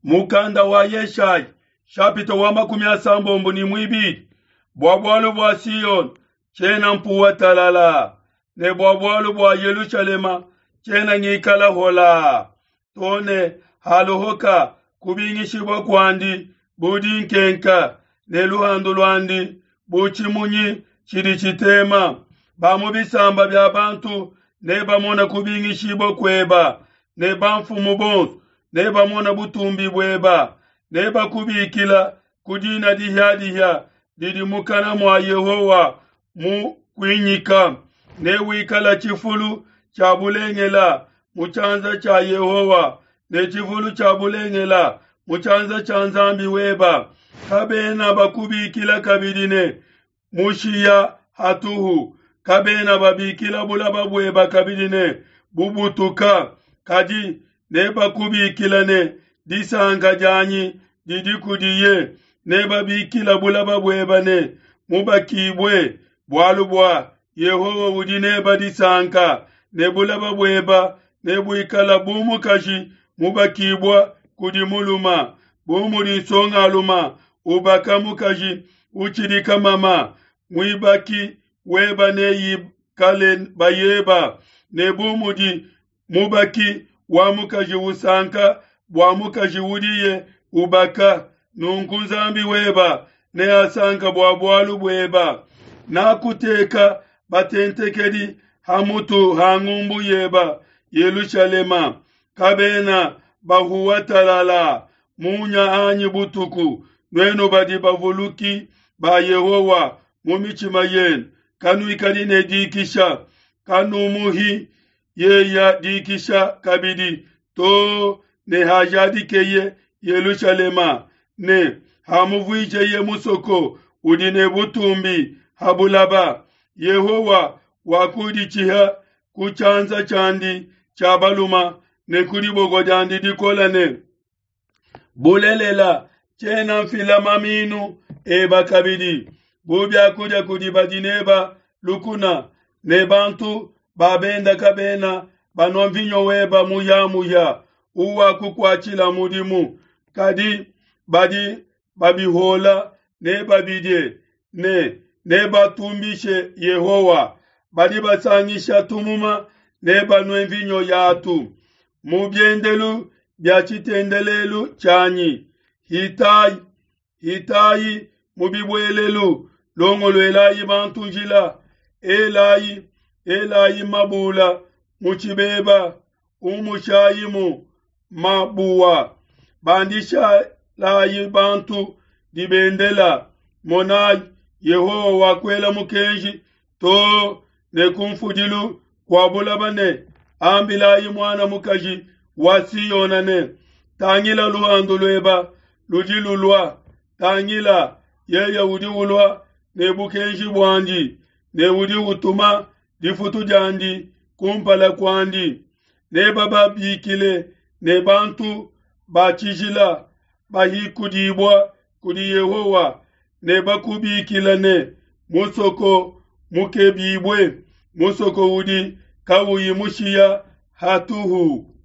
Mukanda wa Yeshayi shapita wa 32. Bua bualu bua Siyone tshiena mpuwa talala, ne bua bualu bua Yelushalema tshiena ngikala hola, to ne haluhuka kubingishibua kuandi bu dinkenka, ne luhandu luandi bu tshimunyi tshidi tshitema. Ba mu bisamba bia bantu nebamone kubingishibua kueba, ne bamfumu bonso nebamone butumbi bueba. Nebakubikila ku dina dihia-dihia didi mukana mua Yehowa mu kuinyika. Newikala tshifulu tshia bulengela mu tshianza tshia Yehowa, ne tshifulu tshia bulengela mu tshianza tshia Nzambi weba. Kabena bakubikila kabidi ne mushiya hatuhu, kabena babikila bulaba bueba kabidi ne bubutuka, kadi nebakubikila ne disanka dianyi didi kudiye. Nebabikila bulaba bueba ne mubakibue, bualu bua Yehowa udi neba disanka, ne bulaba bueba nebuikala bu mukaji mubakibua kudi muluma, bu mudi nsongaluma ubaka mukaji utshidi kamama. Muibaki weba neikale bayeba, ne bu mudi mubaki wa mukaji usanka bua mukaji udiye ubaka, nunku Nzambi weba neasanka bua bualu bueba. Nakuteka batentekedi ha mutu ha ngumbu yeba Yelushalema, kabena bahuwa talala munya anyi butuku. Nuenu badi bavuluki ba Yehowa mu mitshima yenu, kanuikadi ne dikisha, kanumuhi yeya dikisha kabidi to ne hajadikeye Yelushalema, ne hamuvuijeye musoko udi ne butumbi ha bulaba. Yehowa wakuditshiha ku tshianza tshiandi tshia baluma ne ku diboko diandi dikole ne, bulelela tshiena mfila maminu eba kabidi bu biakudia kudi badi neba lukuna, ne bantu ba benda kabena banua mvinyo weba muyamuya uwakukuatshila mudimu, kadi badi babihola nebabidie ne nebatumbishe Yehowa. Badi basangisha tumuma nebanue mvinyo yatu mu biendelu bia tshitendelelu tshianyi. Hitayi, hitayi mu bibuelelu, longoluelayi bantu njila, elayi, elayi mabula mu tshibeba, umushayimu mabuwa, bandishalayi bantu dibendela. Monayi, Yehowa wakuela mukenji to ne kumfudilu kua bulaba ne, ambilayi muana mukaji wa Siyona ne, tangila luhandu lueba ludi lulua, tangila yeye udi ulua ne bukenji buandi, ne udi utuma difutu diandi kumpala kuandi. Nebababikile ne bantu ba tshijila bahikudibua kudi Yehowa, ne bakubikila ne musoko mukebibue, musoko udi kauyi mushiya hatuhu.